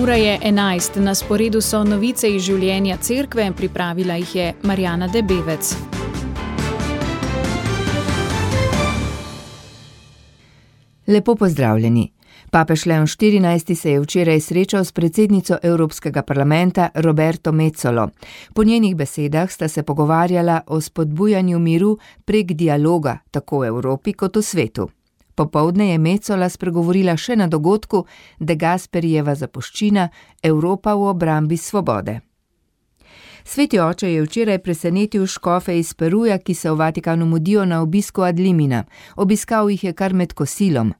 Ura je 11, na sporedu so novice iz življenja cerkve, pripravila jih je Marjana Debevec. Lepo pozdravljeni. Papež Leon XIV se je včeraj srečal s predsednico Evropskega parlamenta Roberto Mezzolo. Po njenih besedah sta se pogovarjala o spodbujanju miru prek dialoga, tako v Evropi kot v svetu. Popoldne je Mezzola spregovorila še na dogodku De Gasperijeva zapuščina Evropa v obrambi svobode. Sveti oče je včeraj presenetil škofe iz Peruja, ki se v Vatikanu mudijo na obisku ad limina. Obiskal jih je kar med kosilom.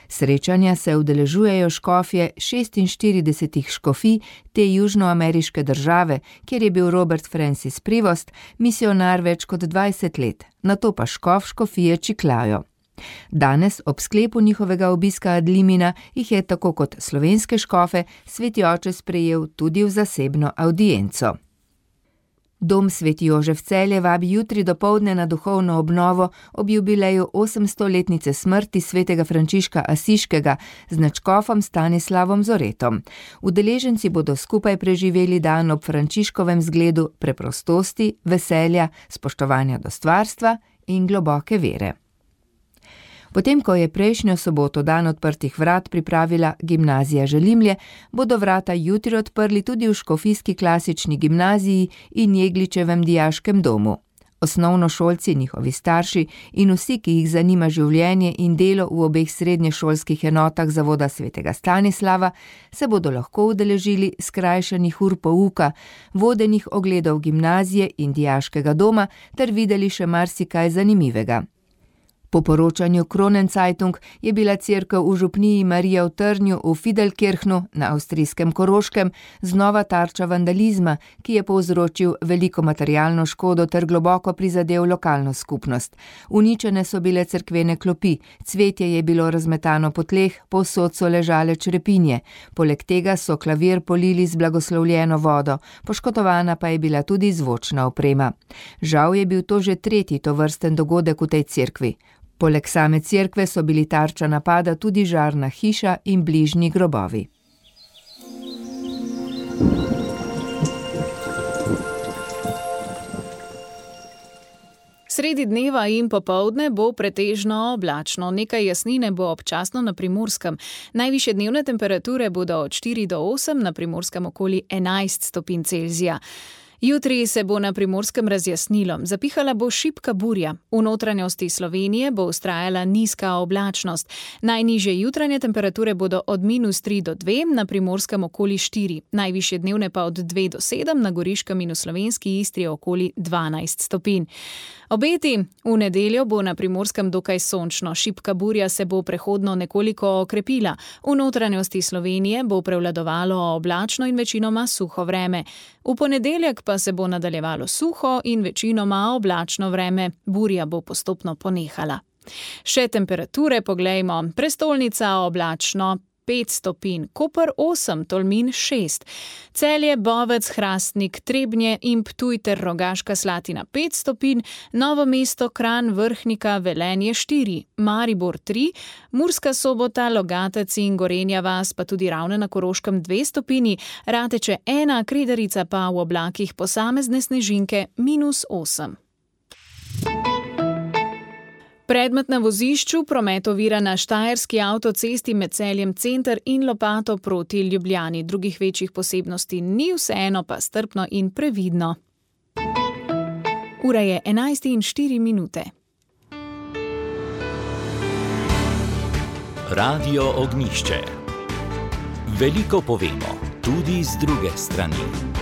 Srečanja se udeležujejo škofje 46 škofij te južnoameriške države, kjer je bil Robert Francis Prevost misionar več kot 20 let, nato pa škof škofije Chiclayo. Danes, ob sklepu njihovega obiska ad limina, jih je tako kot slovenske škofe sveti oče sprejel tudi v zasebno avdienco. Dom Sveti Jožef Celje vabi jutri dopoldne na duhovno obnovo ob jubileju 800-letnice smrti svetega Frančiška Asiškega z nadškofom Stanislavom Zoretom. Udeleženci bodo skupaj preživeli dan ob Frančiškovem zgledu preprostosti, veselja, spoštovanja do stvarstva in globoke vere. Potem, ko je prejšnjo soboto dan odprtih vrat pripravila gimnazija Želimlje, bodo vrata jutri odprli tudi v škofijski klasični gimnaziji in Jegličevem dijaškem domu. Osnovnošolci, njihovi starši in vsi, ki jih zanima življenje in delo v obeh srednješolskih enotah zavoda svetega Stanislava, se bodo lahko udeležili skrajšanih ur pouka, vodenih ogledov gimnazije in dijaškega doma ter videli še marsikaj zanimivega. Po poročanju Kronenzeitung je bila cerkev v župniji Marija v Trnju v Fidelkirchnu na avstrijskem Koroškem znova tarča vandalizma, ki je povzročil veliko materialno škodo ter globoko prizadel lokalno skupnost. Uničene so bile cerkvene klopi, cvetje je bilo razmetano po tleh, povsod so ležale črepinje. Poleg tega so klavir polili z blagoslovljeno vodo, poškodovana pa je bila tudi zvočna oprema. Žal je bil to že tretji tovrsten dogodek v tej cerkvi. Poleg same cerkve so bili tarča napada tudi žarna hiša in bližnji grobovi. Sredi dneva in popoldne bo pretežno oblačno, nekaj jasnine bo občasno na Primorskem. Najvišje dnevne temperature bodo od 4 do 8, na Primorskem okoli 11 stopinj Celzija. Jutri se bo na Primorskem razjasnilo, zapihala bo šibka burja. V notranjosti Slovenije bo vztrajala nizka oblačnost. Najnižje jutranje temperature bodo od -3 do 2, na Primorskem okoli 4. Najvišje dnevne pa od 2 do 7, na Goriškem in v slovenski Istri okoli 12 stopinj. Obeti: v nedeljo bo na Primorskem dokaj sončno, šibka burja se bo prehodno nekoliko okrepila. V notranjosti Slovenije bo prevladovalo oblačno in večinoma suho vreme. V ponedeljek pa se bo nadaljevalo suho in večinoma oblačno vreme, burja bo postopno ponehala. Še temperature poglejmo. Prestolnica oblačno 5 stopinj, Koper 8, Tolmin 6, Celje, Bovec, Hrastnik, Trebnje in Ptuj ter Rogaška Slatina 5 stopinj, Novo mesto, Kranj, Vrhnika, Velenje 4, Maribor 3, Murska Sobota, Logatec in Gorenja vas, pa tudi Ravne na Koroškem 2 stopinji, Rateče 1, Kredarica pa v oblakih posamezne snežinke -8. Predmet na vozišču, promet ovira na štajerski avtocesti med Celjem center in Lopato proti Ljubljani. Drugih večjih posebnosti ni, vseeno pa strpno in previdno. Ura je 11:04. Radio Ognjišče. Veliko povemo, tudi z druge strani.